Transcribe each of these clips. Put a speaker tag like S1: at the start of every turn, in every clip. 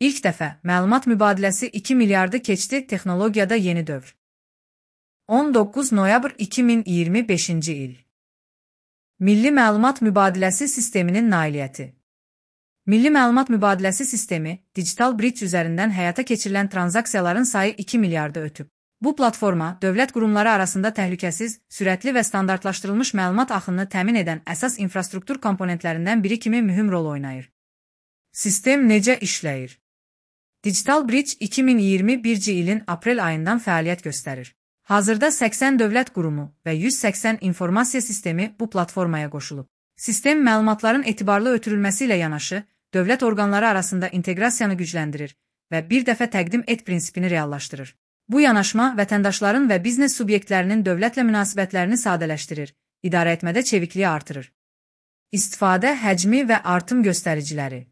S1: İlk dəfə məlumat mübadiləsi 2 milyardı keçdi, texnologiyada yeni dövr. 19 noyabr 2025-ci il. Milli Məlumat Mübadiləsi Sisteminin nailiyyəti. Milli Məlumat Mübadiləsi Sistemi, Digital Bridge üzərindən həyata keçirilən tranzaksiyaların sayı 2 milyardı ötüb. Bu platforma, dövlət qurumları arasında təhlükəsiz, sürətli və standartlaşdırılmış məlumat axınını təmin edən əsas infrastruktur komponentlərindən biri kimi mühüm rol oynayır. Sistem necə işləyir? Digital Bridge 2021-ci ilin aprel ayından fəaliyyət göstərir. Hazırda 80 dövlət qurumu və 180 informasiya sistemi bu platformaya qoşulub. Sistem məlumatların etibarlı ötürülməsi ilə yanaşı, dövlət orqanları arasında inteqrasiyanı gücləndirir və bir dəfə təqdim et prinsipini reallaşdırır. Bu yanaşma vətəndaşların və biznes subyektlərinin dövlətlə münasibətlərini sadələşdirir, idarəetmədə çevikliyi artırır. İstifadə həcmi və artım göstəriciləri.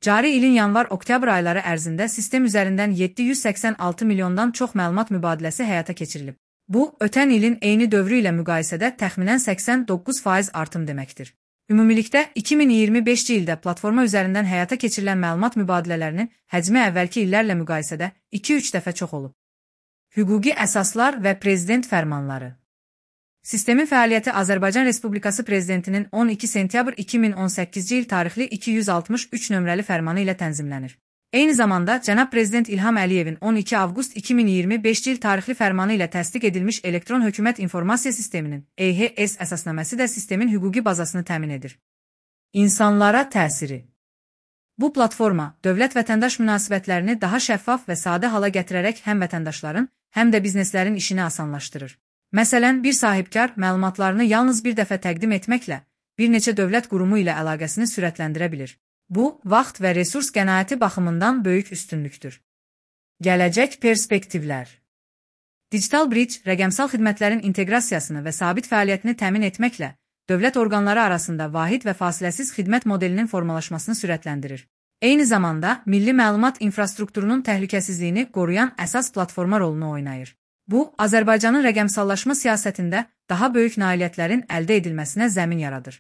S1: Cari ilin yanvar-oktyabr ayları ərzində sistem üzərindən 786 milyondan çox məlumat mübadiləsi həyata keçirilib. Bu, ötən ilin eyni dövrü ilə müqayisədə təxminən 89% artım deməkdir. Ümumilikdə 2025-ci ildə platforma üzərindən həyata keçirilən məlumat mübadilələrinin həcmi əvvəlki illərlə müqayisədə 2-3 dəfə çox olub. Hüquqi əsaslar və prezident fərmanları. Sistemin fəaliyyəti Azərbaycan Respublikası Prezidentinin 12 sentyabr 2018-ci il tarixli 263 nömrəli fərmanı ilə tənzimlənir. Eyni zamanda, Cənab Prezident İlham Əliyevin 12 avqust 2025-ci il tarixli fərmanı ilə təsdiq edilmiş Elektron Hökumət İnformasiya Sisteminin EHS əsasnaməsi də sistemin hüquqi bazasını təmin edir. İnsanlara təsiri. Bu platforma, dövlət-vətəndaş münasibətlərini daha şəffaf və sadə hala gətirərək həm vətəndaşların, həm də bizneslərin işini asanlaşdırır. Məsələn, bir sahibkar məlumatlarını yalnız bir dəfə təqdim etməklə bir neçə dövlət qurumu ilə əlaqəsini sürətləndirə bilir. Bu, vaxt və resurs qənaəti baxımından böyük üstünlükdür. Gələcək perspektivlər. Digital Bridge, rəqəmsal xidmətlərin inteqrasiyasını və sabit fəaliyyətini təmin etməklə dövlət orqanları arasında vahid və fasiləsiz xidmət modelinin formalaşmasını sürətləndirir. Eyni zamanda, milli məlumat infrastrukturunun təhlükəsizliyini qoruyan əsas platforma rolunu oynayır. Bu, Azərbaycanın rəqəmsallaşma siyasətində daha böyük nailiyyətlərin əldə edilməsinə zəmin yaradır.